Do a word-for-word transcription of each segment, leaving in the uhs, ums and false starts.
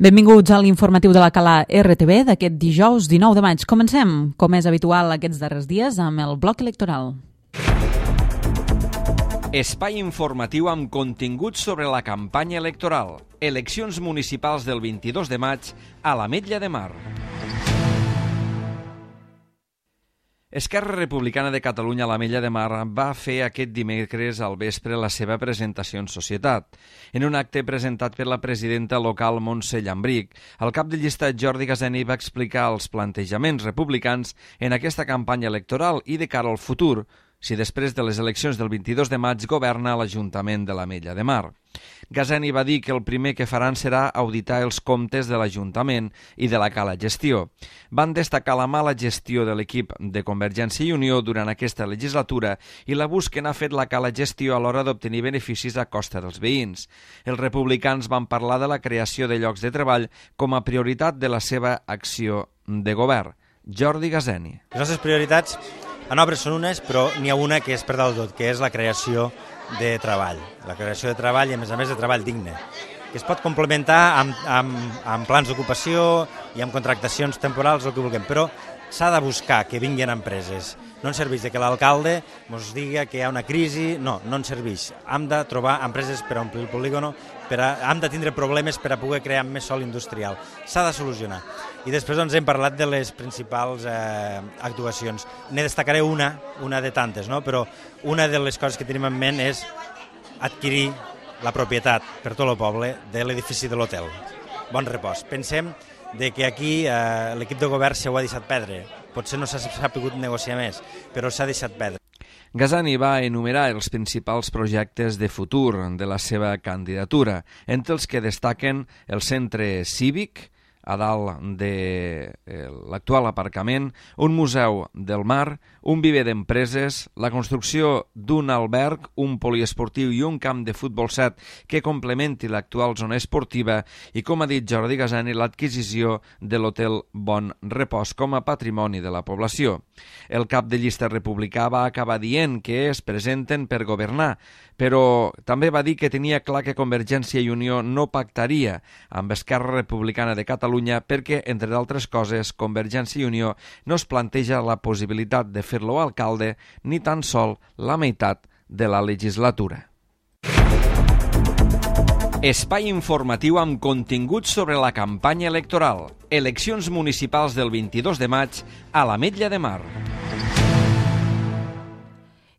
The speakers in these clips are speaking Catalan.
Benvinguts a l'informatiu de la Cala R T V d'aquest dijous dinou de maig. Comencem, com és habitual aquests darrers dies, amb el bloc electoral. Espai informatiu amb continguts sobre la campanya electoral. Eleccions municipals del vint-i-dos de maig a l'Ametlla de Mar. Esquerra Republicana de Catalunya a l'Ametlla de Mar va fer aquest dimecres al vespre la seva presentació en societat. En un acte presentat per la presidenta local Montse Llambric, el cap de llista Jordi Gazeni va explicar els plantejaments republicans en aquesta campanya electoral i de cara al futur, si després de les eleccions del vint-i-dos de maig governa l'Ajuntament de l'Ametlla de Mar. Gazeni va dir que el primer que faran serà auditar els comptes de l'Ajuntament i de la Cala Gestió. Van destacar la mala gestió de l'equip de Convergència i Unió durant aquesta legislatura i l'abús que n'ha fet la Cala Gestió a l'hora d'obtenir beneficis a costa dels veïns. Els republicans van parlar de la creació de llocs de treball com a prioritat de la seva acció de govern. Jordi Gazeni. Les nostres prioritats en obres són unes, però n'hi ha una que és per dalt tot, que és la creació de treball. La creació de treball i, a més a més, de treball digne, que es pot complementar amb, amb, amb plans d'ocupació i amb contractacions temporals o el que vulguem, però s'ha de buscar que vinguin empreses. No ens serveix que l'alcalde ens digui que hi ha una crisi, no, no ens serveix. Hem de trobar empreses per omplir el polígono, per a, hem de tindre problemes per a poder crear més sòl industrial. S'ha de solucionar. I després doncs, hem parlat de les principals eh, actuacions. Ne destacaré una, una de tantes, no? Però una de les coses que tenim en ment és adquirir la propietat per tot el poble de l'edifici de l'hotel. Bon repòs. Pensem de que aquí eh, l'equip de govern s'ho ha deixat perdre. Potser no s'ha pogut negociar més, però s'ha deixat perdre. Gazeni va enumerar els principals projectes de futur de la seva candidatura, entre els que destaquen el centre cívic, a dalt de l'actual aparcament, un museu del mar, un viver d'empreses, la construcció d'un alberg, un poliesportiu i un camp de futbol set que complementi l'actual zona esportiva i, com ha dit Jordi Gazeni, l'adquisició de l'hotel Bon Repòs com a patrimoni de la població. El cap de llista republicà va acabar dient que es presenten per governar, però també va dir que tenia clar que Convergència i Unió no pactaria amb Esquerra Republicana de Catalunya perquè, entre d'altres coses, Convergència i Unió no es planteja la possibilitat de fer-lo alcalde ni tan sol la meitat de la legislatura. Espai informatiu amb continguts sobre la campanya electoral. Eleccions municipals del vint-i-dos de maig a l'Ametlla de Mar.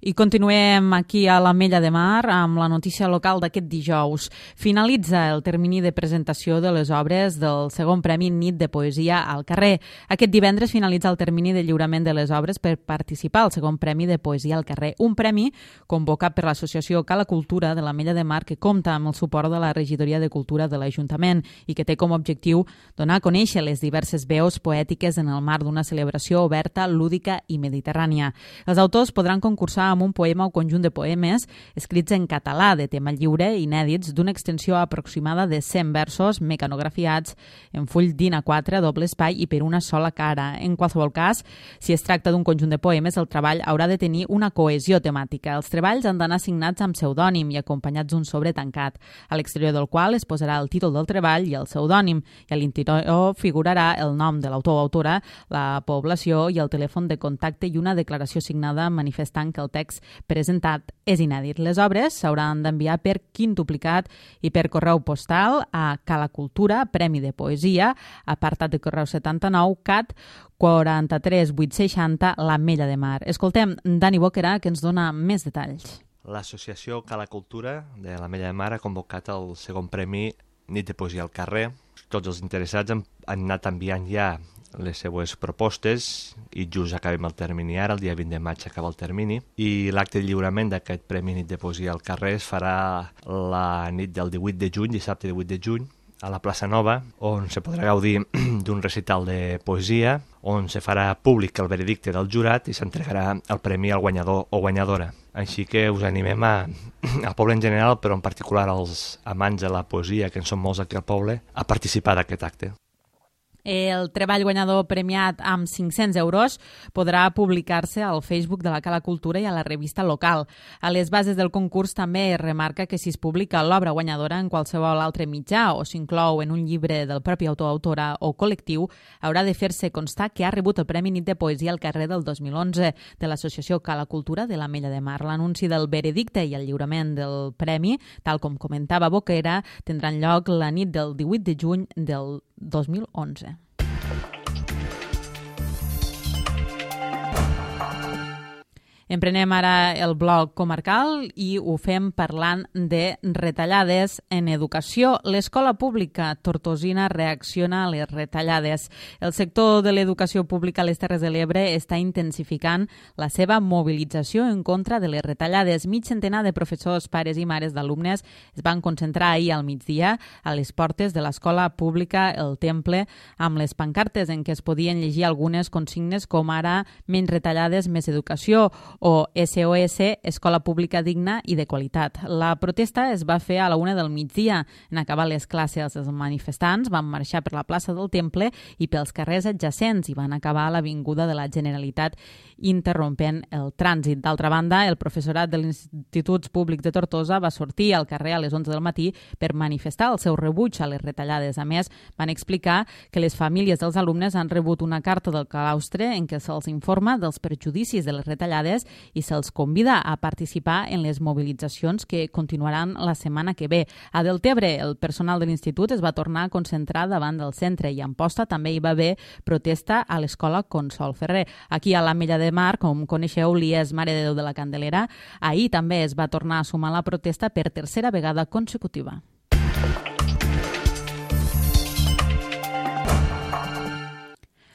I continuem aquí a l'Ametlla de Mar amb la notícia local d'aquest dijous. Finalitza el termini de presentació de les obres del segon Premi Nit de Poesia al carrer. Aquest divendres finalitza el termini de lliurament de les obres per participar al segon Premi de Poesia al carrer. Un premi convocat per l'associació Cala Cultura de l'Ametlla de Mar que compta amb el suport de la Regidoria de Cultura de l'Ajuntament i que té com a objectiu donar a conèixer les diverses veus poètiques en el marc d'una celebració oberta, lúdica i mediterrània. Els autors podran concursar amb un poema o conjunt de poemes escrits en català de tema lliure, inèdits, d'una extensió aproximada de cent versos mecanografiats en full d'I N A quatre, doble espai i per una sola cara. En qualsevol cas, si es tracta d'un conjunt de poemes, el treball haurà de tenir una cohesió temàtica. Els treballs han d'anar signats amb pseudònim i acompanyats d'un sobre tancat, a l'exterior del qual es posarà el títol del treball i el pseudònim, i a l'interior figurarà el nom de l'autor o autora, la població i el telèfon de contacte i una declaració signada manifestant que el text presentat és inèdit. Les obres s'hauran d'enviar per quintuplicat i per correu postal a Cala Cultura, Premi de Poesia, apartat de correu setanta-nou, C A T quaranta-tres vuit seixanta, l'Ametlla de Mar. Escoltem Dani Boquerà, que ens dona més detalls. L'associació Cala Cultura de l'Ametlla de Mar ha convocat el segon Premi Nit de Poesia al carrer. Tots els interessats han, han anat enviant ja les seues propostes i just acabem el termini ara, el dia vint de maig acaba el termini, i l'acte de lliurament d'aquest Premi Nit de Poesia al carrer es farà la nit del divuit de juny, dissabte divuit de juny, a la plaça Nova, on se podrà gaudir d'un recital de poesia, on se farà públic el veredicte del jurat i s'entregarà el premi al guanyador o guanyadora. Així que us animem a, al poble en general, però en particular als amants de la poesia, que en són molts aquí al poble, a participar d'aquest acte. El treball guanyador premiat amb cinc-cents euros podrà publicar-se al Facebook de la Cala Cultura i a la revista local. A les bases del concurs també es remarca que si es publica l'obra guanyadora en qualsevol altre mitjà o s'inclou en un llibre del propi autor, autora o col·lectiu, haurà de fer-se constar que ha rebut el Premi Nit de Poesia al carrer del dos mil onze de l'Associació Cala Cultura de l'Ametlla de Mar. L'anunci del veredicte i el lliurament del premi, tal com comentava Boquera, tindran lloc la nit del divuit de juny del dos mil onze. Emprenem ara el bloc comarcal i ho fem parlant de retallades en educació. L'escola pública tortosina reacciona a les retallades. El sector de l'educació pública a les Terres de l'Ebre està intensificant la seva mobilització en contra de les retallades. Mig centenar de professors, pares i mares d'alumnes es van concentrar ahir al migdia a les portes de l'escola pública El Temple amb les pancartes en què es podien llegir algunes consignes com ara menys retallades, més educació o S O S, Escola Pública Digna i de Qualitat. La protesta es va fer a la una del migdia. En acabar les classes, els manifestants van marxar per la plaça del Temple i pels carrers adjacents i van acabar a l'Avinguda de la Generalitat interrompent el trànsit. D'altra banda, el professorat de l'Institut Públic de Tortosa va sortir al carrer a les onze del matí per manifestar el seu rebuig a les retallades. A més, van explicar que les famílies dels alumnes han rebut una carta del claustre en què se'ls informa dels perjudicis de les retallades i se'ls convida a participar en les mobilitzacions que continuaran la setmana que ve. A Deltebre, el personal de l'institut es va tornar a concentrar davant del centre i a Amposta també hi va haver protesta a l'escola Consol Ferrer. Aquí a l'Ametlla de Mar, com coneixeu, l'I E S Mare de Déu de la Candelera, ahir també es va tornar a sumar la protesta per tercera vegada consecutiva.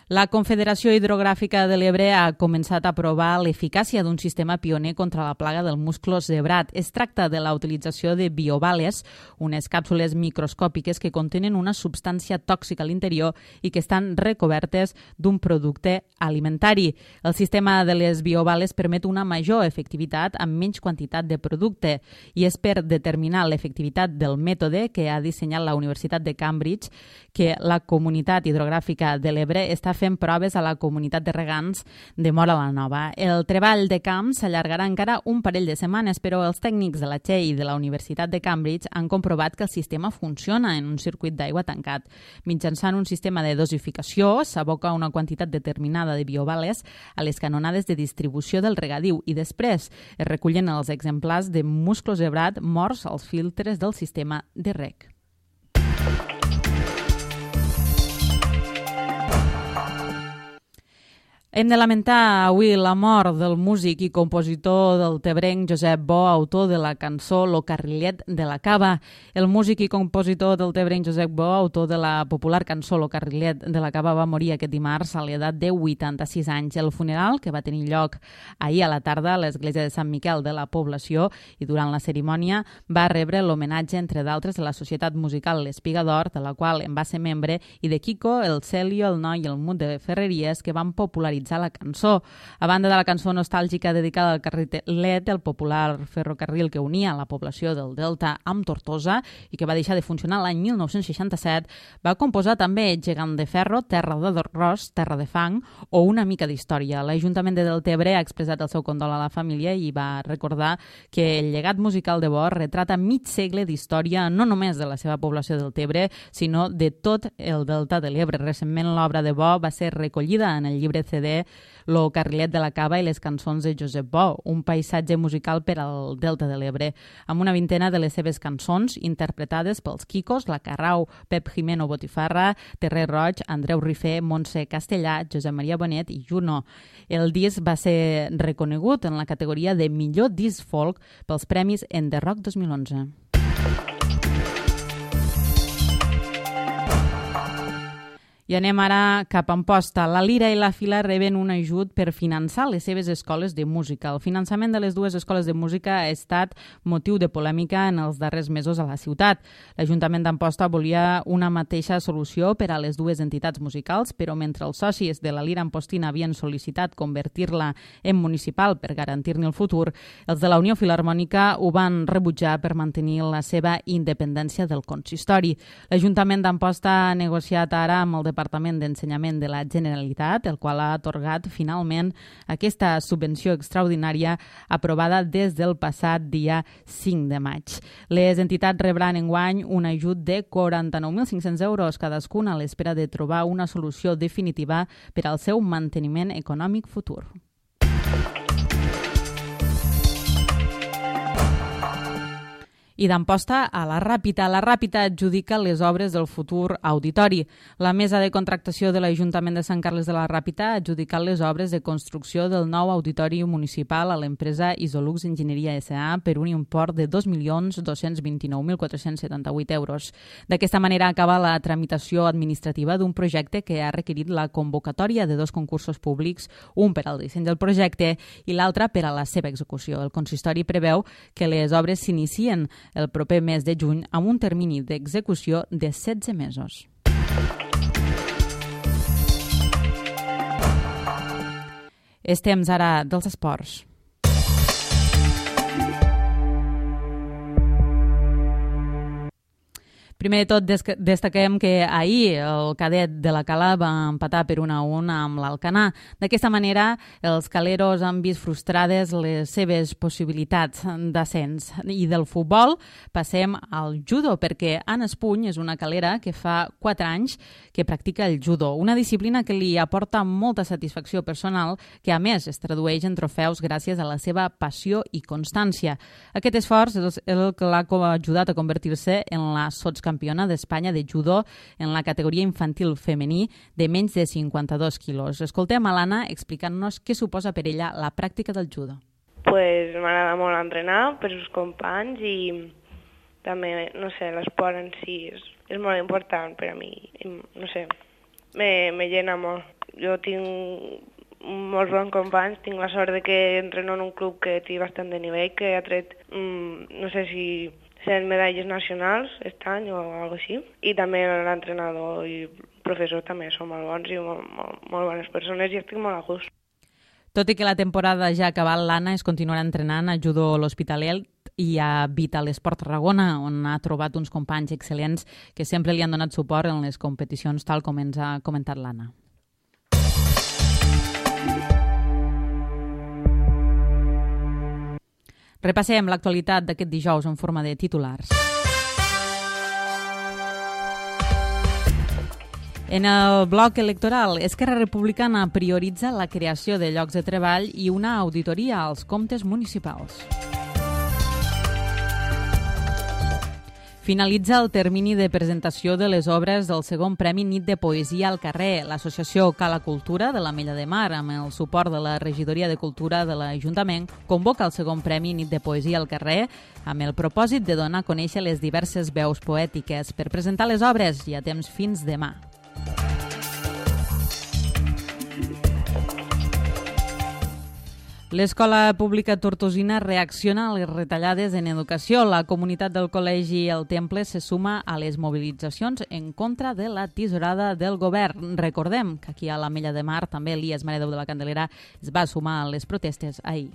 La Confederació Hidrogràfica de l'Ebre ha començat a provar l'eficàcia d'un sistema pioner contra la plaga del musclo zebrat. Es tracta de la utilització de biovales, unes càpsules microscòpiques que contenen una substància tòxica a l'interior i que estan recobertes d'un producte alimentari. El sistema de les biovales permet una major efectivitat amb menys quantitat de producte i és per determinar l'efectivitat del mètode que ha dissenyat la Universitat de Cambridge que la Comunitat Hidrogràfica de l'Ebre està fent proves a la comunitat de regants de Móra la Nova. El treball de camp s'allargarà encara un parell de setmanes, però els tècnics de la T E I i de la Universitat de Cambridge han comprovat que el sistema funciona en un circuit d'aigua tancat. Mitjançant un sistema de dosificació, s'aboca una quantitat determinada de biovales a les canonades de distribució del regadiu i després es recullen els exemplars de musclo zebrat morts als filtres del sistema de reg. Hem de lamentar avui la mort del músic i compositor del tebrenc Josep Bo, autor de la cançó Lo Carrillet de la Cava. El músic i compositor del tebrenc Josep Bo, autor de la popular cançó Lo Carrillet de la Cava, va morir aquest dimarts a l'edat de vuitanta-sis anys. El funeral, que va tenir lloc ahir a la tarda a l'església de Sant Miquel de la població i durant la cerimònia va rebre l'homenatge, entre d'altres, de la Societat Musical L'Espiga d'Or, de la qual en va ser membre, i de Kiko, el Celio, el Noi i el Mut de Ferreries, que van popularitzar la cançó. A banda de la cançó nostàlgica dedicada al carrilet, el popular ferrocarril que unia la població del Delta amb Tortosa i que va deixar de funcionar l'any mil nou-cents seixanta-set, va composar també Gegant de Ferro, Terra d'Arròs, Terra de Fang o Una mica d'història. L'Ajuntament de Deltebre ha expressat el seu condol a la família i va recordar que el llegat musical de Bo retrata mig segle d'història no només de la seva població del Tebre, sinó de tot el Delta de l'Ebre. Recentment l'obra de Bo va ser recollida en el llibre C D Lo Carrillet de la Cava i les cançons de Josep Bo, un paisatge musical per al Delta de l'Ebre, amb una vintena de les seves cançons interpretades pels Quicos, la Carrau, Pep Jimeno Botifarra, Terrer Roig, Andreu Rifé, Montse Castellà, Josep Maria Bonet i Juno. El disc va ser reconegut en la categoria de millor disc folk pels premis En The Rock dos mil onze. I anem ara cap a Amposta. La Lira i la Fila reben un ajut per finançar les seves escoles de música. El finançament de les dues escoles de música ha estat motiu de polèmica en els darrers mesos a la ciutat. L'Ajuntament d'Amposta volia una mateixa solució per a les dues entitats musicals, però mentre els socis de la Lira Ampostina havien sol·licitat convertir-la en municipal per garantir-ne el futur, els de la Unió Filharmònica ho van rebutjar per mantenir la seva independència del consistori. L'Ajuntament d'Amposta ha negociat ara amb el Departament d'Ensenyament de la Generalitat, el qual ha atorgat finalment aquesta subvenció extraordinària aprovada des del passat dia cinc de maig. Les entitats rebran enguany un ajut de quaranta-nou mil cinc-cents euros cadascuna a l'espera de trobar una solució definitiva per al seu manteniment econòmic futur. I d'Amposta a la Ràpita. La Ràpita adjudica les obres del futur auditori. La mesa de contractació de l'Ajuntament de Sant Carles de la Ràpita ha adjudicat les obres de construcció del nou auditori municipal a l'empresa Isolux Enginyeria S A per un import de dos milions dos-cents vint-i-nou mil quatre-cents setanta-vuit euros. D'aquesta manera acaba la tramitació administrativa d'un projecte que ha requerit la convocatòria de dos concursos públics, un per al disseny del projecte i l'altre per a la seva execució. El consistori preveu que les obres s'inicien el proper mes de juny amb un termini d'execució de setze mesos. És temps ara dels esports. Primer de tot, destaquem que ahir el cadet de la Cala va empatar per un a un amb l'Alcanar. D'aquesta manera, els caleros han vist frustrades les seves possibilitats d'ascens. I del futbol passem al judo, perquè Anna Espuny és una calera que fa quatre anys que practica el judo, una disciplina que li aporta molta satisfacció personal, que a més es tradueix en trofeus gràcies a la seva passió i constància. Aquest esforç és el que l'ha ajudat a convertir-se en la sotscampiona d'Espanya de judo en la categoria infantil femení de menys de cinquanta-dos quilos. Escoltem a l'Anna explicant-nos què suposa per ella la pràctica del judo. Pues m'agrada molt entrenar per els companys i també, no sé, l'esport en si és, és molt important per a mi. No sé, me, me llena molt. Jo tinc molts bons companys, tinc la sort de que entreno en un club que té bastant de nivell, que ha tret, mm, no sé si set medalles nacionals aquest any o alguna cosa així. I també l'entrenador i el professor també són molt bons i molt, molt, molt bones persones i estic molt a gust. Tot i que la temporada ja ha acabat, l'Anna es continuarà entrenant a judo a l'Hospitalet i a Vital Esport Tarragona, on ha trobat uns companys excel·lents que sempre li han donat suport en les competicions, tal com ens ha comentat l'Anna. Repassem l'actualitat d'aquest dijous en forma de titulars. En el bloc electoral, Esquerra Republicana prioritza la creació de llocs de treball i una auditoria als comptes municipals. Finalitza el termini de presentació de les obres del segon Premi Nit de Poesia al Carrer. L'associació Cala Cultura de l'Ametlla de Mar, amb el suport de la Regidoria de Cultura de l'Ajuntament, convoca el segon Premi Nit de Poesia al Carrer amb el propòsit de donar a conèixer les diverses veus poètiques. Per presentar les obres hi ha temps fins demà. L'Escola Pública Tortosina reacciona a les retallades en educació. La comunitat del Col·legi El Temple se suma a les mobilitzacions en contra de la tisorada del govern. Recordem que aquí a l'Ametlla de Mar també Elies Maredeu de la Candelera es va sumar a les protestes ahir.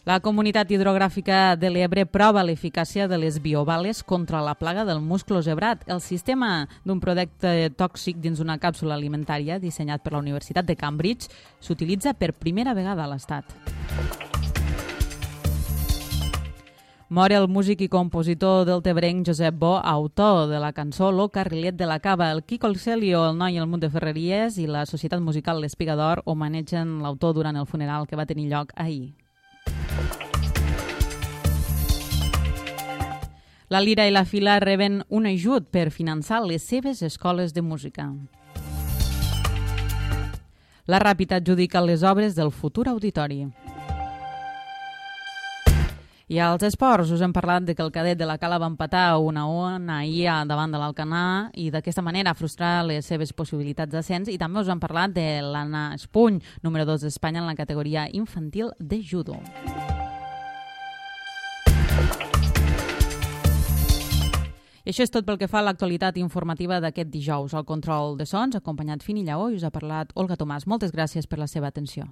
La Comunitat Hidrogràfica de l'Ebre prova l'eficàcia de les biobales contra la plaga del musclo zebrat. El sistema d'un producte tòxic dins una càpsula alimentària dissenyat per la Universitat de Cambridge s'utilitza per primera vegada a l'Estat. Mor el músic i compositor deltebrenc Josep Bo, autor de la cançó Lo Carrilet de la Cava. El Quico el Celio, el Noi i el Munt de Ferreries i la Societat Musical l'Espiga d'Or homenatgen l'autor durant el funeral que va tenir lloc ahir. La Lira i la Fila reben un ajut per finançar les seves escoles de música. La Ràpita adjudica les obres del futur auditori. I als esports us hem parlat de que el cadet de la Cala va empatar un a un ahir davant de l'Alcanar i d'aquesta manera frustrar les seves possibilitats d'ascens, i també us hem parlat de l'Anna Espuny, número dos d'Espanya en la categoria infantil de judo. I això és tot pel que fa a l'actualitat informativa d'aquest dijous. Al control de sons, acompanyat Fini Lleó, i us ha parlat Olga Tomàs. Moltes gràcies per la seva atenció.